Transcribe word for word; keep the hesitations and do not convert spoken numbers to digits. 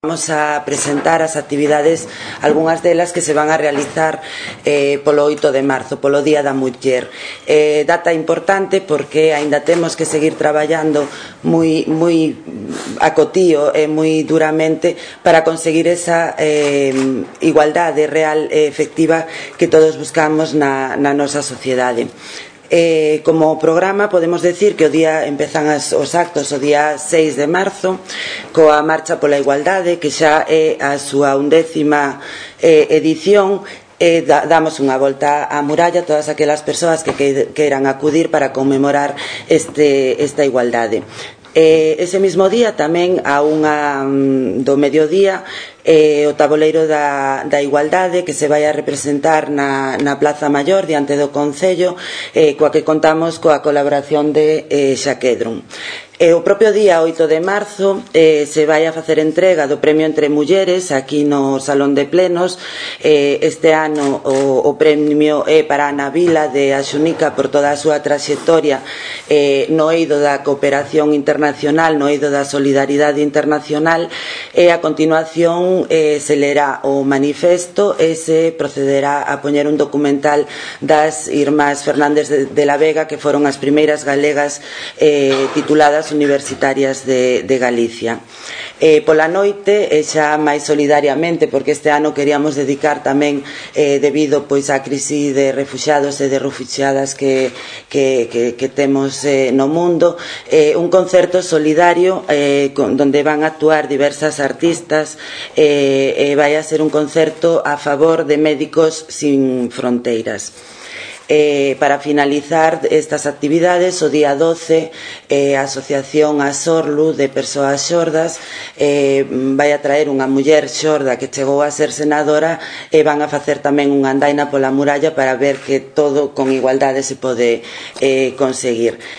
Vamos a presentar as actividades, algunhas delas que se van a realizar eh, polo oito de marzo, polo Día da Muller. Eh, data importante porque aínda temos que seguir traballando moi, moi acotío e moi duramente para conseguir esa eh, igualdade real e efectiva que todos buscamos na, na nosa sociedade. Eh, como programa podemos decir que o día empezan as, os actos o día seis de marzo coa Marcha pola Igualdade, que xa é a súa undécima eh, edición. E da, damos unha volta á muralla a todas aquelas persoas que, que queiran acudir para conmemorar este, esta igualdade. Eh, ese mismo día tamén a unha um, do mediodía eh, o taboleiro da, da igualdade que se vai a representar na, na Plaza Maior diante do Concello, eh, coa que contamos coa colaboración de eh, Xaquedron. E o propio día oito de marzo eh, se vai a facer entrega do Premio Entre Mulleres aquí no Salón de Plenos. Eh, este ano o, o premio é para Ana Vila de Axunica por toda a súa traxectoria eh, no eido da cooperación internacional, no eido da solidaridade internacional, e a continuación eh, se lerá o manifesto e se procederá a poñer un documental das irmás Fernández de, de la Vega, que foron as primeiras galegas eh, tituladas universitarias de, de Galicia. Eh, pola noite, e xa máis solidariamente, porque este ano queríamos dedicar tamén, eh, debido pois á crise de refuxiados e de refuxiadas que, que, que, que temos eh, no mundo, eh, un concerto solidario eh, con, donde van a actuar diversas artistas, eh, e vai a ser un concerto a favor de Médicos Sin Fronteiras. Eh, para finalizar estas actividades, o día doce, eh, a Asociación Asorlu de Persoas Xordas eh, vai a traer unha muller xorda que chegou a ser senadora, e van a facer tamén unha andaina pola muralla para ver que todo con igualdade se pode eh, conseguir.